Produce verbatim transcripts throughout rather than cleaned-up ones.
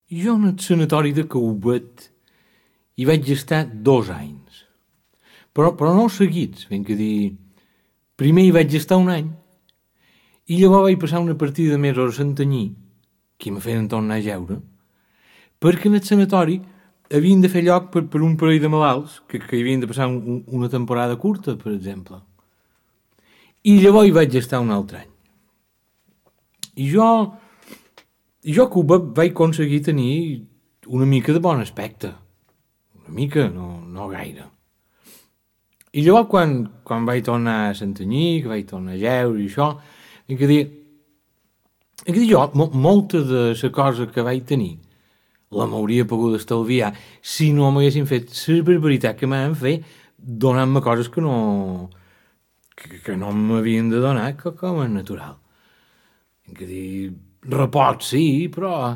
Jo en el sanatori de Caubet hi vaig estar dos anys. Però, però no seguits, ben que dir... Primer hi vaig estar un any i llavors vaig passar una partida de mesos a Santanyí, que me feien tornar a jeure, perquè en el sanatori havien de fer lloc per, per un parell de malalts que, que hi havien de passar un, una temporada curta, per exemple. I llavors hi vaig estar un altre any. I jo... I jo a Cuba vaig aconseguir tenir una mica de bon aspecte. Una mica, no, no gaire. I llavors quan, quan vaig tornar a Santanyí, que vaig tornar a jeure i això, he que dir, he que dir jo, mo, molta de la cosa que vaig tenir la m'hauria pogut estalviar si no m'haguessin fet la barbaritat que m'han fet donant-me coses que no que, que no m'havien de donar com a natural. He que dir, repot sí, però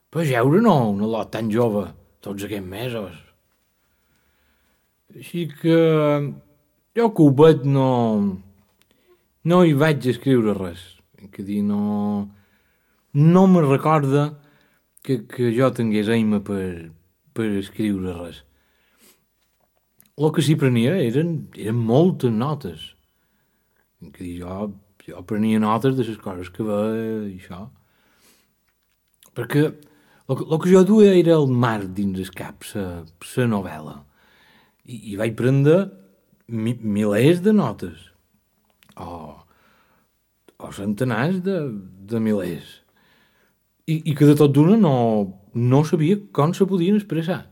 per jeure no, una lot tan jove, tots aquests mesos. Així que jo a Cubet no, no hi vaig escriure res. Que dir, no, no me recorda que, que jo tingués aima per, per escriure res. El que sí prenia eren, eren moltes notes. Que dir, jo, jo prenia notes de les coses que veia i això. Perquè el, el que jo duia era el mar dins el cap, la novel·la. I, i vaig prendre mi, milers de notes. O, o centenars de, de milers. I, I que de tot d'una no, no sabia com se podien expressar.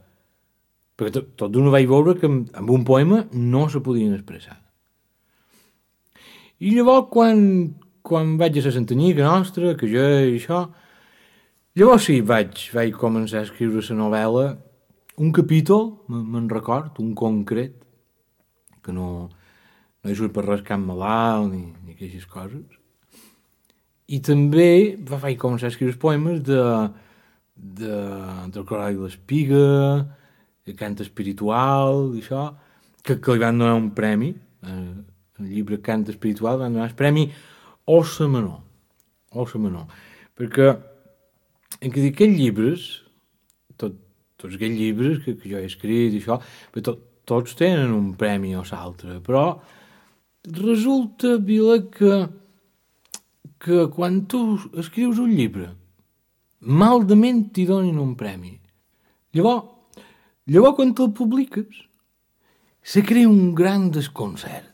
Perquè tot, tot d'una vaig veure que amb, amb un poema no se podien expressar. I llavors, quan, quan vaig a la Santanyí, que nostra, que jo i això, llavors sí, vaig, vaig començar a escriure la novel·la, un capítol, me'n record, un concret, que no, no hi surt per res cap malalt ni, ni aquestes coses. I també vaig començar a escriure poemes de, de, del Corall i l'Espiga, de cant espiritual i això, que, que li van donar un premi, eh, el llibre Cant espiritual, van donar el premi Ossa Menor, Ossa Menor, perquè en que dir, aquests llibres, tot, tots aquests llibres que, que jo he escrit i això, tot, tots tenen un premi o l'altre, però resulta, Vila, que, que quan tu escrius un llibre, maldament t'hi donin un premi. Llavors, llavors quan te'l publiques, se crea un gran desconcert.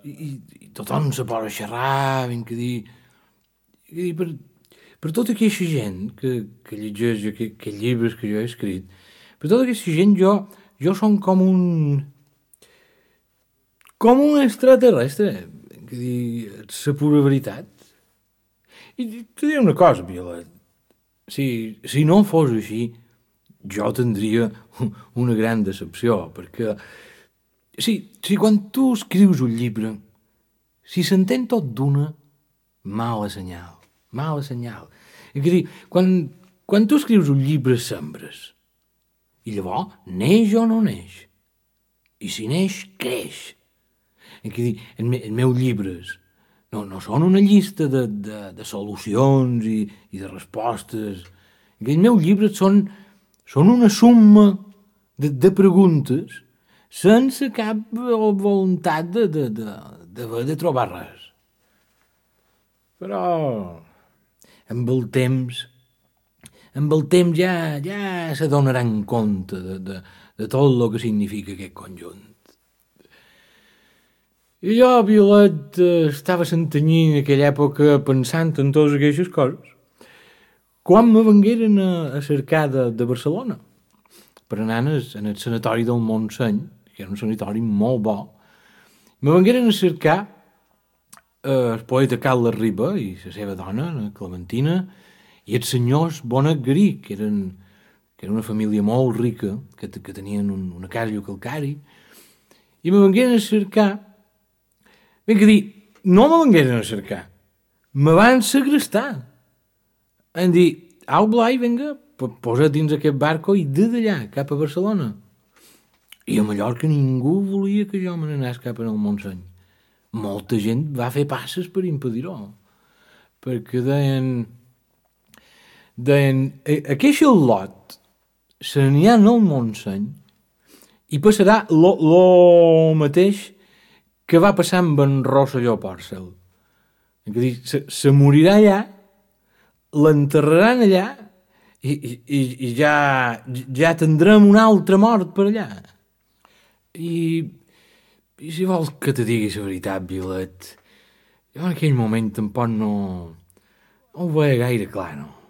I, i, i tothom se posa a xerrar, ben que dir, que dir per, per tota aquesta gent que, que llegeix aquests que llibres que jo he escrit, per tota aquesta gent jo, jo som com un com un extraterrestre, que dir, la pura veritat. I te diré una cosa, Violet, si, si no fos així, jo tindria una gran decepció, perquè si, si quan tu escrius un llibre, si s'entén tot d'una, mala senyal, mala senyal. És a dir, quan, quan tu escrius un llibre sembres, i llavors neix o no neix, i si neix, creix. És a dir, els me, meus llibres no, no són una llista de, de, de solucions i, i de respostes. Els meus llibres són, són una suma de, de preguntes sense cap voluntat de, de, de, de, de trobar res. Però amb el temps, amb el temps ja, ja se donaran compte de, de, de tot el que significa aquest conjunt. I jo, Violet, estava a Santanyí en aquella època pensant en totes aquestes coses, quan me vengueren a, a cercar de, de Barcelona, per anar en el, en el sanatori del Montseny, que era un sanatori molt bo, me vengueren a cercar eh, el poeta Carles Riba i la seva dona, la Clementina, i els senyors Bonet Garí, que eren, que era una família molt rica, que, que tenien un, una casa a Calcari, i me vengueren a cercar. Ben que dir, no me vengueren a cercar, me van segrestar. Em dir, au Blai, vinga, posa't dins aquest barco i de d'allà, cap a Barcelona. I a Mallorca ningú volia que jo me n'anés cap al Montseny. Molta gent va fer passes per impedir-ho, perquè deien, deien, aquest xalot se n'hi ha al Montseny i passarà lo, lo mateix que va passar amb en Rosselló Pòrcel. Se, se morirà allà, l'enterraran allà i, i, i ja, ja tindrem una altra mort per allà. I, i si vols que te digui la veritat, Violet, jo en aquell moment tampoc no, no ho veia gaire clar, no?